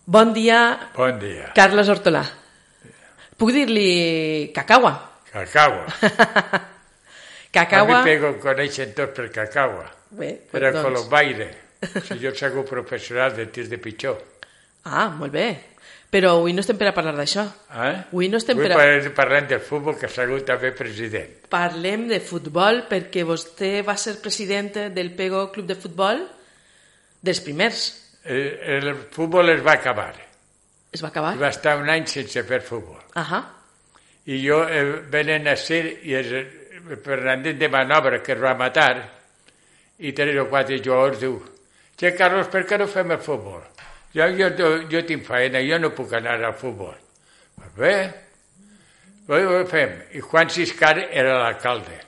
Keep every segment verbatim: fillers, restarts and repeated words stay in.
Bon dia, Bon dia. Carles Hortolà. Puc dir-li Cacagua? Cacagua. Cacagua... A mi pego coneixen tots per Cacagua. Bé, Era doncs... colombaire. Si jo soc un professional de tir de pitjó. Ah, molt bé. Però avui no estem per a parlar d'això. Eh? Avui no estem Avui per a... parlem del futbol, que ha sigut també president. Parlem de futbol perquè vostè va ser president del Pego Club de Futbol dels primers. El, el futbol es va acabar. Es va acabar? I va estar un any sense fer futbol. Ahà. I jo eh, venen a ser i el Fernandín de Manobra, que es va matar, i tres o quatre jugadors diu: «Che, Carlos, per què no fem el futbol? Jo, jo, jo, jo tinc feina, jo no puc anar al futbol». Pues bé, ho fem. I Juan Ciscar era l'alcalde.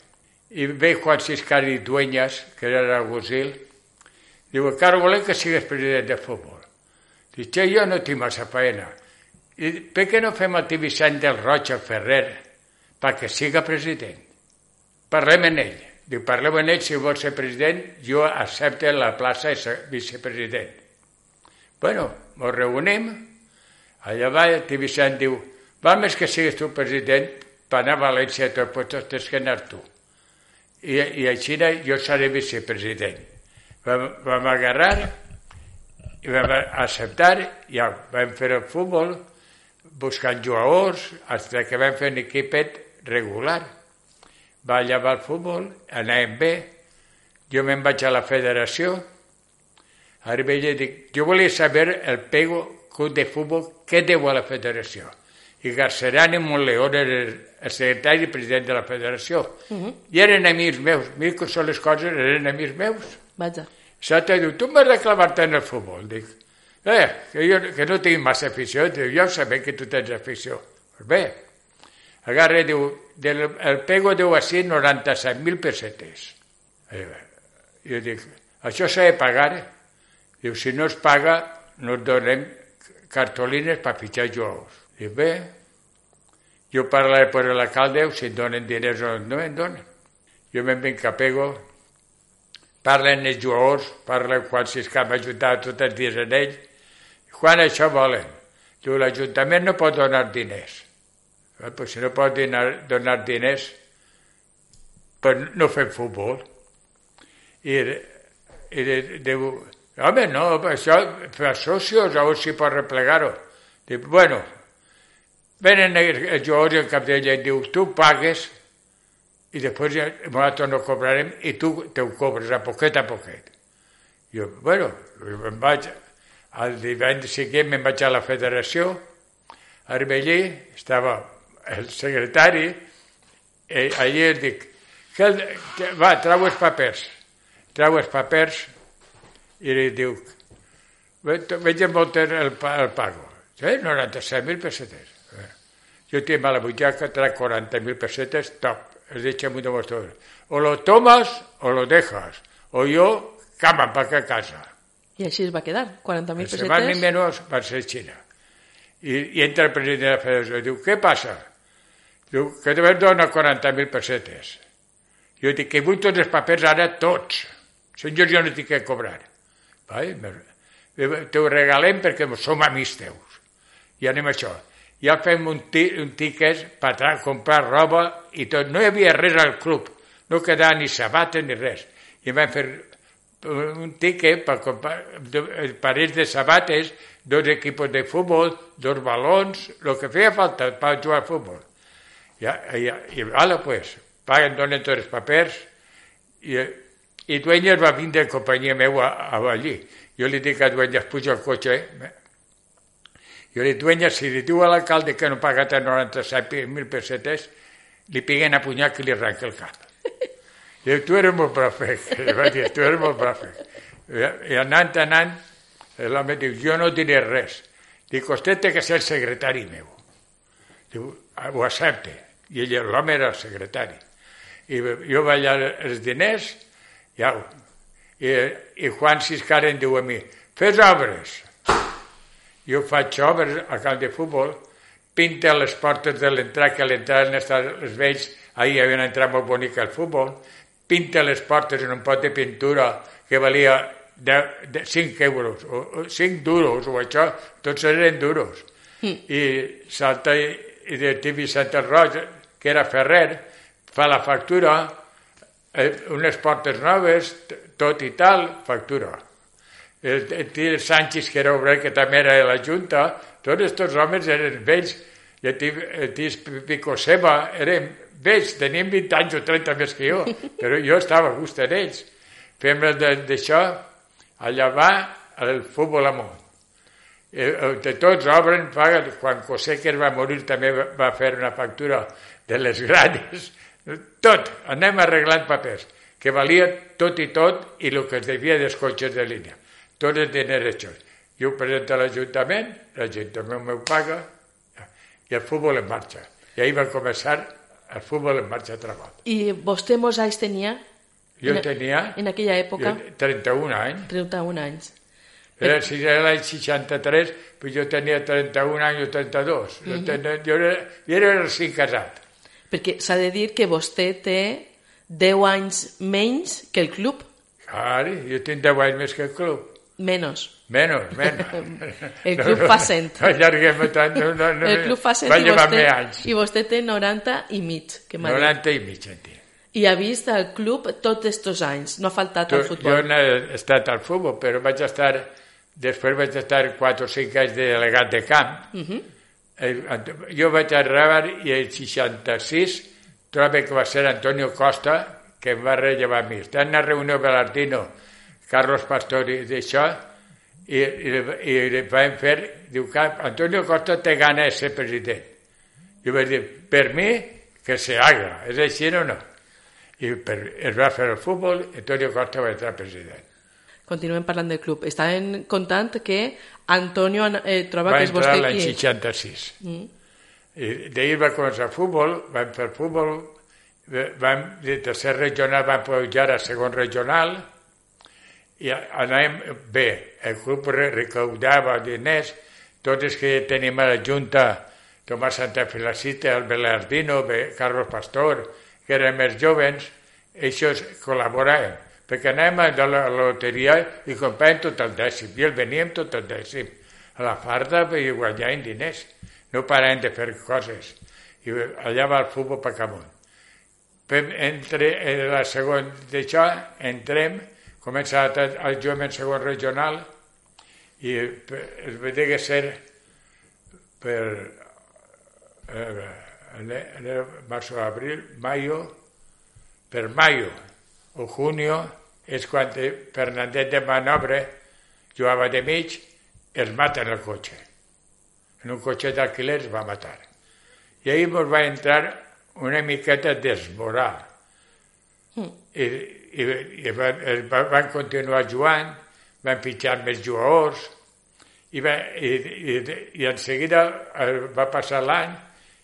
I ve Juan Ciscar i Dueñas, que era l'alguacil, diu: «Carlos, volem que sigues president de futbol». Dic: «Che, jo no tinc massa feina. I per què no fem el Vicent del Roig al Ferrer perquè siga president? Parlem amb ell». Diu: «Parlem amb ell, si vol ser president, jo accepto la plaça de vicepresident». Bueno, ens reunim, allà va, el Vicent diu: «Val més que sigues tu president per anar a València, tot, pues tens que anar tu. I, i així jo seré vicepresident». Vam, vam agarrar i vam acceptar, ja vam fer el futbol, buscant jugadors, fins que vam fer un equipet regular. Va llevar el futbol, anàvem bé, jo me'n vaig a la federació, ara veia, dic, jo volia saber el Pego Club de Futbol què deu a la federació. I Garcerán i Montleón era el secretari i president de la federació. Uh -huh. I eren amics meus, mira que són les coses, eren amics meus. Vaja. Sota diu: «Tu m'has de clavar-te en el futbol». Dic: «Eh, que jo que no tinc massa afició». Diu: «Jo sabem que tu tens afició». Pues bé, agarra, diu, del, el Pego deu així noranta-set mil pessetes. Eh, jo dic: «Això s'ha de pagar». Diu: «Si no es paga, no et donem cartolines per fitxar jugadors». Dic: «Bé, jo parlaré per l'alcalde, si em donen diners o no em donen». Jo me'n vinc a Pego, parlen els jugadors, parlen Juan Ciscar, m'ajuntava tots els dies en ell. «Juan, això volen». Diu: «L'Ajuntament no pot donar diners». Eh, pues si no pot donar, donar diners, pues no fem futbol. I, i diu: «Home, no, això, per socios, a veure si pot replegar-ho». Diu: «Bueno, venen els jugadors i el cap d'ella i diu: «Tu pagues i després ja, nosaltres no cobrarem i tu te ho cobres a poquet a poquet». Jo: «Bueno, me'n vaig, el divendres següent me'n vaig a la federació, arriba allí, estava el secretari, i allí es dic: «Va, trau els papers». Trau els papers i li diu: «Veig molt el, el pago». Sí, noranta-set mil pessetes. Jo tinc a la butxaca, trac quaranta mil pessetes, top. Es dice muy de vosotros: o lo tomas o lo dejas, o yo cama para que a casa. I així es va quedar, quaranta mil pessetes. Se van ni menos va ser Xina. I, I entra el president de la federació i diu: «Què passa?» Diu: «Que te dona quaranta mil pessetes». Jo dic: «Que vull tots els papers ara, tots. Senyors, jo no tinc que cobrar». Te ho regalem perquè som amics teus. I anem a això. Ja fem un, un tiquet per comprar roba i tot. No hi havia res al club, no quedava ni sabates ni res. I vam fer un tiquet per comprar parells de sabates, dos equipos de futbol, dos balons, el que feia falta per jugar al futbol. Ja, ja, I vale, pues, paguen, donen tots els papers, i, i Dueñas va vindre en companyia meva a, a allí. Jo li dic a Dueñas: «Puja al cotxe». Eh? Jo li dic: «Dueñas, si li diu a l'alcalde que no paga noranta-set mil pessetes, li peguen a punyar que li arranca el cap». Diu: «Tu eres molt profe». Va dir: «Tu eres molt profe». I anant, anant, l'home diu: «Jo no diré res». Dic: «Vostè té que ser el secretari meu». Diu: «Ho accepte». I ell, l'home era el secretari. I jo vaig allà els diners, ja, i, i Juan Ciscar em diu a mi: «Fes obres». Jo faig obres al camp de futbol, pinta les portes de l'entrada, que a l'entrada han estat els vells, ahir havien entrat molt bonic al futbol, pinta les portes en un pot de pintura que valia de, de cinc euros, o, o cinc duros, o això, tots eren duros. Mm. I salta i de Tibi Santa Rosa, que era ferrer, fa la factura, eh, unes portes noves, tot i tal, factura. El, el Tir Sánchez, que era obrer, que també era de la Junta, tots aquests homes eren vells, i el Tir Pico Seba eren vells, tenien vint anys o trenta més que jo, però jo estava a gust en ells. Fem d'això, allà va el futbol amunt. De tots obren, paguen. Quan José, que va morir, també va fer una factura de les grades. Tot, anem arreglant papers, que valia tot i tot, i el que es devia dels cotxes de línia. Tots els diners hechos. Jo ho presento a l'Ajuntament, l'Ajuntament m'ho paga, i el futbol en marxa. I ahir va començar el futbol en marxa altra volta. I vostè molts anys tenia? Jo en, tenia... En aquella època? trenta-un anys. trenta-un anys. Era, si era l'any seixanta-tres, pues jo tenia trenta-un anys o trenta-dos. Mm-hmm. tenia, jo, era, jo era recent casat. Perquè s'ha de dir que vostè té deu anys menys que el club. Clar, jo tinc deu anys més que el club. Menos. Menos, menos. El club fa cent. No, allarguem tant. No, no, no, el club fa cent va i vostè, anys. i vostè té noranta i mig. Que noranta i mig, en tinc. I ha vist el club tots aquests anys, no ha faltat tu, al futbol. Jo no he estat al futbol, però vaig estar, després vaig estar quatre o cinc anys de delegat de camp. Uh-huh. eh, jo vaig arribar i el seixanta-sis trobo que va ser Antonio Costa que em va rellevar a mi. Està en una reunió Belardino, Carlos Pastor i d'això, i, i, i vam fer, diu que Antonio Costa té gana de ser president. Jo vaig dir, per mi, que se haga, és així o no? I per, es va fer el futbol, Antonio Costa va entrar president. Continuem parlant del club. Estaven contant que Antonio eh, troba va que és vostè qui... Va entrar l'any seixanta-sis. Mm. I d'ahir va començar futbol, vam fer futbol, vam, de tercer regional vam pujar a segon regional, i anàvem bé. El club recaudava diners, tots els que tenim a la Junta, Tomàs Santafelacita, el Belardino, Carlos Pastor, que eren més joves, ells col·laboraven, perquè anàvem a la loteria i compràvem tot el dècim, i el veníem tot el dècim. A la farda i guanyàvem diners, no paràvem de fer coses. I allà va el futbol per amunt. Entre la segona d'això, entrem, comença a jugar en segon regional, i es va dir que ser per eh, marzo, abril, mayo, per mayo o junio, és quan Fernández de Manobre jugava de mig, es mata en el cotxe. En un cotxe d'alquiler es va matar. I ahir ens va entrar una miqueta desmoral. Mm. I, i, i van, van continuar jugant, van pitjar més jugadors, i, va, i, i, i en seguida va passar l'any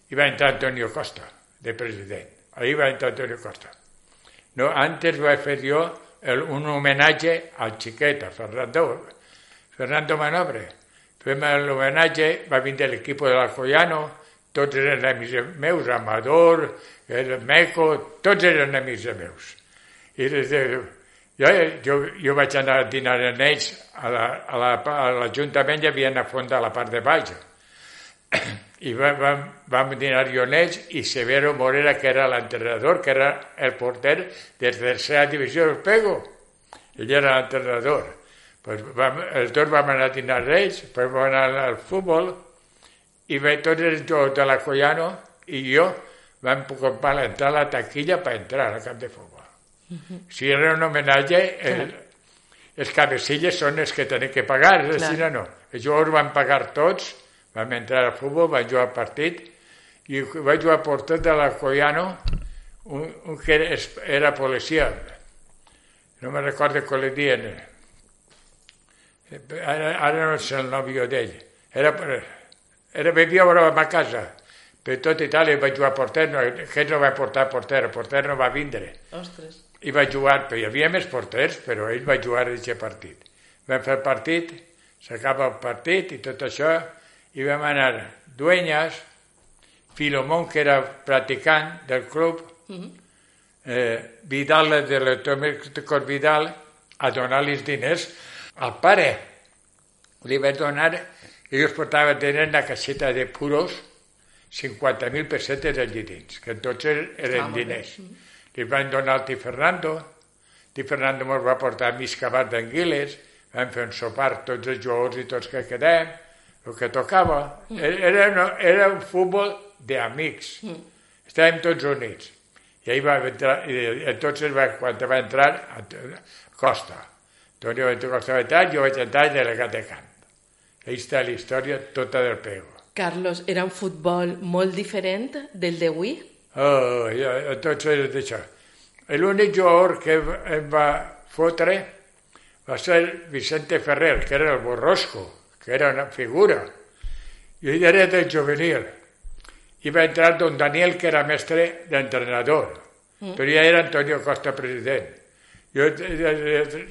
i va entrar Antonio Costa, de president. Ahí va entrar Antonio Costa. No, antes vaig fer jo el, un homenatge al xiquet, a Fernando, Fernando Manobre. Fem l'homenatge, va vindre l'equip de l'Alcoyano, tots eren amics meus, Amador, el Meco, tots eren amics meus. I jo, jo, jo vaig anar a dinar amb ells, a l'Ajuntament la, a la, hi havia una fonda a la part de baix. I vam, vam, vam dinar jo amb ells, i Severo Morera, que era l'entrenador, que era el porter de tercera divisió del Pego. Ell era l'entrenador. Pues vam, els dos vam anar a dinar amb ells, després vam anar al futbol, i ve tots els jugadors de l'Alcoyano i jo vam comprar l'entrada a la taquilla per entrar al camp de futbol. Uh-huh. Si era un homenatge, el, els cabecilles són els que tenen que pagar, és així o no. Els jugadors van pagar tots, vam entrar al futbol, vam jugar al partit, i vaig jugar per tot de l'Alcoyano, un, un que era, era policia, no me recordo com li diuen, ara, ara no sé el nòvio d'ell, era, era vivia a ma casa, per tot Itàlia vaig jugar a porter, no, que no va portar a porter, el porter no va vindre. Ostres. I va jugar, però hi havia més porters, però ell va jugar a aquest partit. Vam fer el partit, s'acaba el partit i tot això, i vam anar Dueñas, Filomón, que era practicant del club, uh-huh. eh, Vidal, de l'Automècticos Vidal, a donar-li diners al pare. Li vaig donar, ells portaven diners en una caixeta de puros, cinquanta mil pessetes allí dins, que entonces eren ah, diners. Li van donar al Ti Fernando, Ti Fernando ens va portar mig cabat d'anguiles, vam fer un sopar tots els jugadors i tots que quedem, el que tocava. Era, era un futbol d'amics. Estàvem tots units. I ahí va entrar, i entonces va, quan va entrar Costa, Antonio Costa va entrar, jo vaig entrar delegat de camp. Ahí està la història tota del Pego. Carlos, era un futbol molt diferent del d'avui? Oh, ja, entonces d'això. L'únic jugador que em va fotre va ser Vicente Ferrer, que era el Borrosco, que era una figura. I ell era del juvenil. I va entrar don Daniel, que era mestre d'entrenador, mm. però ja era Antonio Costa president. Jo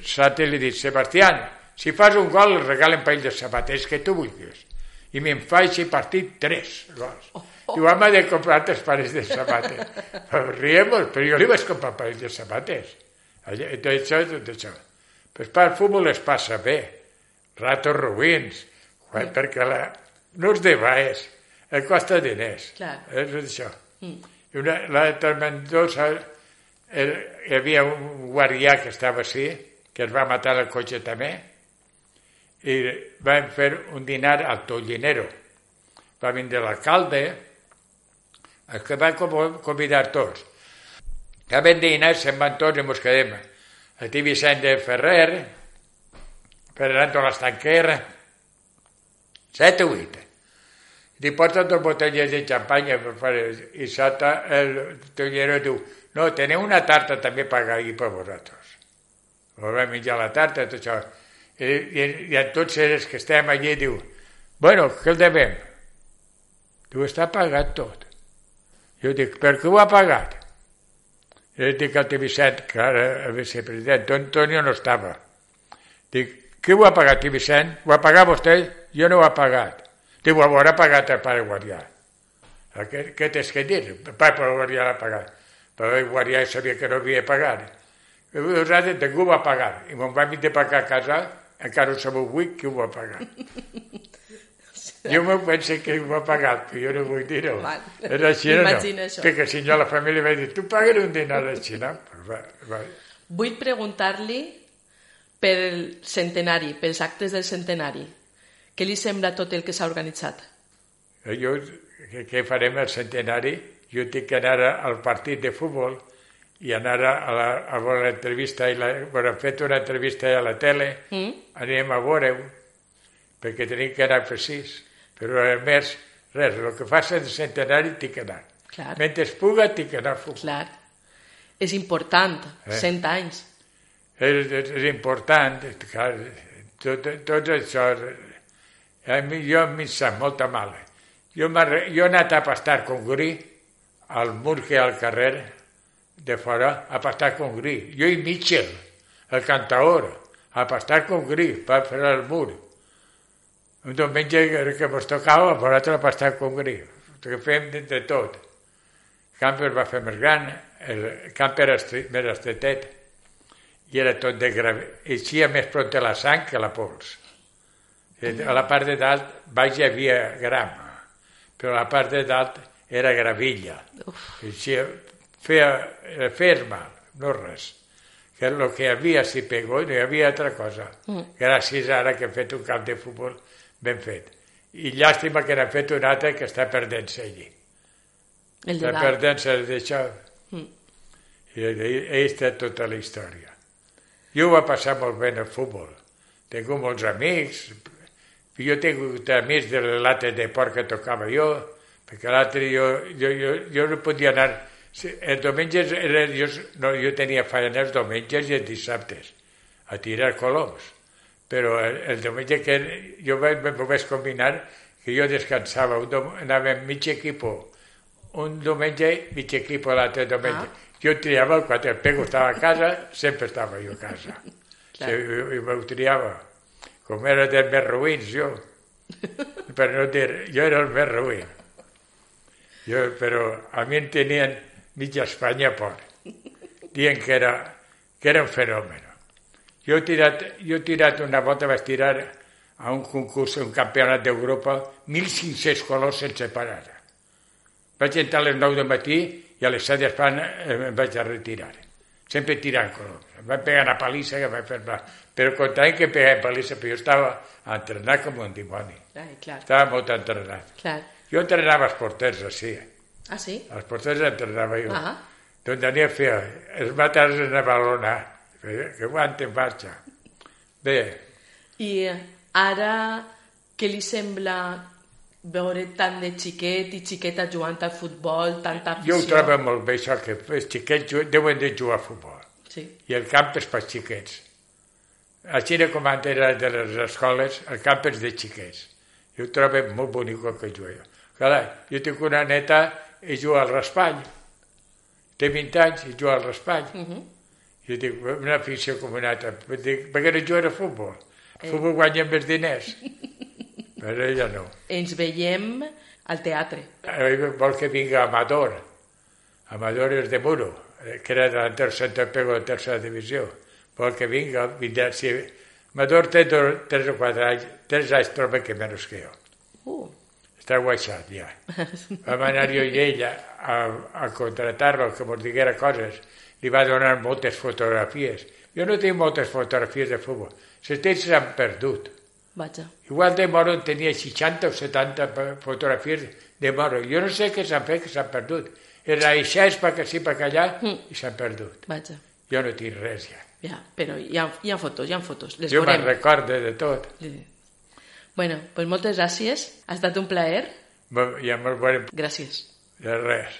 Sate li dic, Sebastián, si fas un gol el regalen parell de sabaters que tu vulguis. I me'n faig i partit tres gols. Oh, oh. Diu, home, de comprar tres parells de sabates. Però riemos, però jo li vaig comprar parells de sabates. Això és tot això. Pues per al futbol es passa bé. Ratos ruïns, mm. perquè la, no és de baix. Et costa diners. Clar. És això. Mm. I una, l'altra Mendoza, el, hi havia un guardià que estava així, que es va matar al cotxe també, i vam fer un dinar al Tollinero. Va vindre l'alcalde, el que va convidar tots. Acabem de dinar, se'n van tots i ens quedem. El Ti Vicent de Ferrer, Fernando Lastanquer, set o vuit. Li porta dos botelles de xampanya i sota el Tollero diu, no, teniu una tarta també per ahir per vosaltres. Vam menjar la tarta, tot això. I, i, i a tots els que estem allí diu, bueno, què el devem? Diu, està pagat tot. Jo dic, per què ho ha pagat? I dic al Ti Vicent, que ara el vicepresident, Antonio no estava. Dic, qui ho ha pagat, Ti Vicent? Ho ha pagat vostè? Jo no ho ha pagat. Diu, ho haurà pagat el pare guardià. Què, què tens que dir? El pare guardià l'ha pagat. Però el guardià sabia que no havia pagat. Nosaltres ningú va pagar. I me'n vam de pagar a casa, encara no sabeu avui qui ho va pagar. Jo m'ho penso que ho va pagar, però jo no vull dir-ho. Era així, no? Perquè si no la família va dir, tu pagues un dinar així, no? Vull preguntar-li pel centenari, pels actes del centenari. Què li sembla tot el que s'ha organitzat? Jo, què farem al centenari? Jo tinc que anar al partit de futbol i anar a la, a veure l'entrevista. Hem fet una entrevista a la tele, mm. anem a veure-ho, perquè tenim que anar precís. Però a més, res, el que fa el centenari tinc que anar. Clar. Mentre es puga, tinc que anar a futbol. Clar. És important, eh? cent anys. És, és, és important, clar, tot, tot això... A mi, jo m'hi sap molta mala. Jo, jo he anat a pastar congrí al mur que hi ha al carrer de fora, a pastar congrí. Jo i Mitchell, el cantaor, a pastar congrí per fer el mur. Un diumenge que ens tocava, a nosaltres a pastar congrí. Que fem de, de tot. El camp es va fer més gran, el camp era estret, més estretet, i era tot de gravi. Eixia més pront la sang que la pols. A la part de dalt, baix hi havia gram, però a la part de dalt era gravilla. Així, feia fer mal, no res. Que el que hi havia s'hi pegó i no hi havia altra cosa. Mm. Gràcies ara que hem fet un camp de futbol ben fet. I llàstima que n'ha fet un altre que està perdent-se allí. El de està dalt. perdent-se d'això. Mm. I ahí està tota la història. Jo ho va passar molt bé en el futbol. Tinc molts amics. Jo tinc amics de l'altre de port que tocava jo, perquè l'altre jo, jo, jo, jo no podia anar... Els diumenges, era, jo, no, jo tenia feina els diumenges i els dissabtes, a tirar coloms. Però el, el diumenge que jo m'ho vaig combinar, que jo descansava, un dom, anava amb mig equip, un diumenge, mig equip l'altre diumenge. Ah. Jo triava, quan el Pego estava a casa, sempre estava jo a casa. Sí, i, i m'ho triava. Com era dels més ruïns, jo. Per no dir, jo era el més ruïn. Jo, però a mi em tenien mitja Espanya por, dient que era, que era un fenomen. Jo he tirat, jo he tirat una volta, vaig tirar a un concurs, un campionat d'Europa, mil cinc-cents colors sense parar. Vaig entrar a les nou del matí i a les set d'Espanya em vaig a retirar. Sempre tirant colors. Em vaig pegar una palissa que vaig fer mal. Però contant que pegava palissa, però jo estava entrenat com un dimoni. Ai, clar. Estava molt entrenat. Clar. Jo entrenava els porters, així. Ah, sí? Els porters entrenava jo. Ah. Doncs tenia a fer els matars en la balona, que aguanten marxa. Bé. I ara, què li sembla veure tant de xiquet i xiqueta jugant al futbol, tanta afició? Jo ho trobo molt bé, això, que els xiquets deuen de jugar a futbol. Sí. I el camp és pels xiquets. A Xina, com antes era de les escoles, el camp és de xiquets. Jo ho trobo molt bonic que jugo. Clar, jo tinc una neta i juga al raspall. Té vint anys i juga al raspall. Uh -huh. Jo dic, una afició com una altra. Dic, per què no jugar a futbol? El futbol eh. guanya més diners. Però ella no. Ens veiem al teatre. Vol que vinga Amador. Amador és de Muro, que era delantero centre pego de tercera divisió. Vol que vinga, vindrà. Si Amador té dos, tres o quatre anys, tres anys troba que menys que jo. Uh. Està guaixat, ja. Vam anar jo i ella a, a contratar-lo, que ens diguera coses. Li va donar moltes fotografies. Jo no tinc moltes fotografies de futbol. Les tens s'han perdut. Vaja. Igual de Moro tenia seixanta o setanta fotografies de Moro. Jo no sé què s'han fet, que s'han perdut. Era aixès per aquí, per allà, mm. i s'han perdut. Vaja. Jo no tinc res, ja. Ja, però hi ha, hi ha fotos, hi ha fotos. Les jo veurem. me'n recordo de tot. Sí. Bueno, pues moltes gràcies. Ha estat un plaer. Ja me'l veurem. Gràcies. De res.